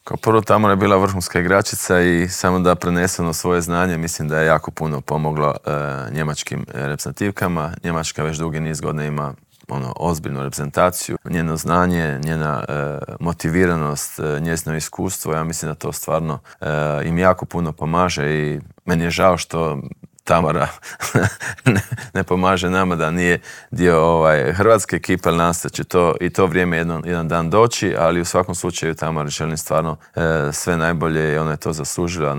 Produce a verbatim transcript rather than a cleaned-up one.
Kao prvo, Tamara je bila vrhunska igračica i samo da preneseno svoje znanje, mislim da je jako puno pomoglo e, njemačkim reprezentativkama. Njemačka već dugi niz godina ima ono, ozbiljnu reprezentaciju. Njeno znanje, njena e, motiviranost, e, njezino iskustvo, ja mislim da to stvarno e, im jako puno pomaže i meni je žao što Tamara ne, ne pomaže nama, da nije dio ovaj, hrvatske ekipe, ali nastat će to i to vrijeme jedan, jedan dan doći, ali u svakom slučaju Tamara želim stvarno e, sve najbolje i ona je to zaslužila.